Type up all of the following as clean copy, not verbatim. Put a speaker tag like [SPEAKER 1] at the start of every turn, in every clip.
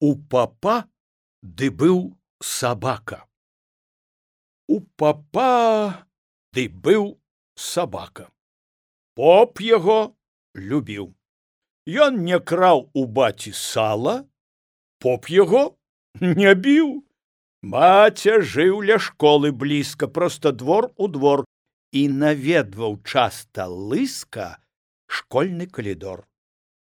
[SPEAKER 1] У папа ды быў сабака. У папа ды быў сабака. Поп яго любіў. Ён не краў у баці сала, поп яго не біў. Баця жыў ля школы блізка, проста двор у двор, і наведваў часта лыска школьны калідор.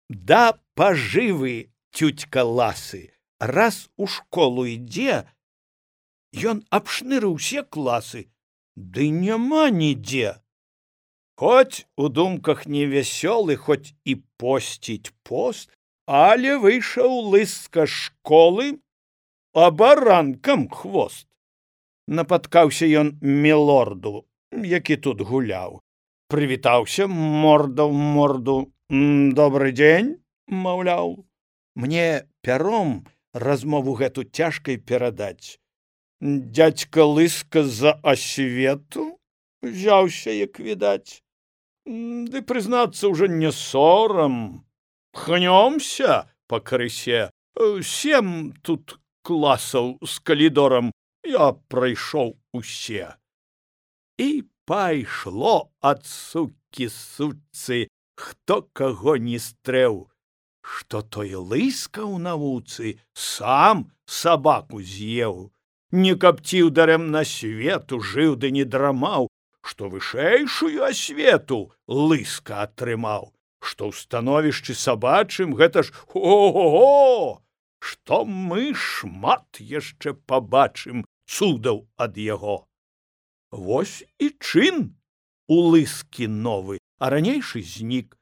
[SPEAKER 1] Да пажывы тютька Ласы раз у школу ідзе, ён абшнырыў усе класы, ды няма нідзе. Хоць у думках невясёлы, хоць і посціць пост, але выйшаў лыска школы, а баранкам хвост. Напаткаўся ён мілорду, які тут гуляў. Прывітаўся морда ў морду. Добры дзень, маўляў. Мне пяром размову гэту цяжкай перадаць. Дядька лыска за асвету взяўся, як відаць. Ды, прызнацца, уже не сорам. Пхнёмся па крысе. 7 тут класаў з калідорам я прайшоў усе. І пайшло ад сукі сучцы, хто каго не стрэў, што той лыска ў навуцы сам сабаку з'еў. Не капціў дарэмна свету, жыў ды не драмаў, што вышэйшую асвету лыска атрымаў, што ў становішчы сабачым гэта ж ого-го, што мы шмат яшчэ пабачым цудаў ад яго. Вось і чын у лыскі новы, а ранейшы знік.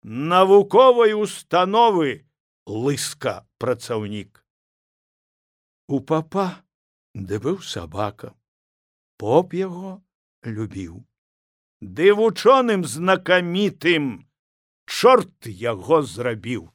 [SPEAKER 1] Навуковай установы лыска працаўнік. У папа ды быў сабака, поп яго любіў. Ды вучоным знакамітым чорт яго зрабіў.